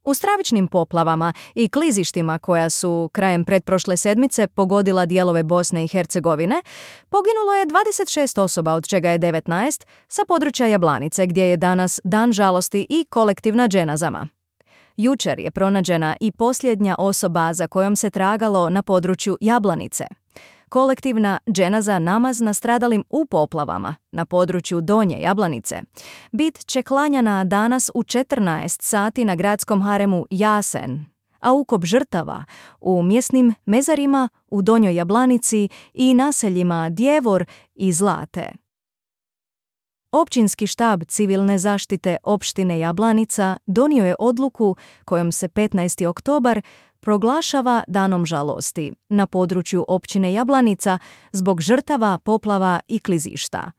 U stravičnim poplavama i klizištima koja su krajem pretprošle sedmice pogodila dijelove Bosne i Hercegovine, poginulo je 26 osoba, od čega je 19 sa područja Jablanice, gdje je danas dan žalosti i kolektivna dženazama. Jučer je pronađena i posljednja osoba za kojom se tragalo na području Jablanice. Kolektivna dženaza namaz nastradalim u poplavama na području Donje Jablanice bit će klanjana danas u 14 sati na gradskom haremu Jasen, a ukop žrtava u mjesnim mezarima u Donjoj Jablanici i naseljima Djevor i Zlate. Općinski štab civilne zaštite opštine Jablanica donio je odluku kojom se 15. oktobar proglašava danom žalosti na području općine Jablanica zbog žrtava poplava i klizišta.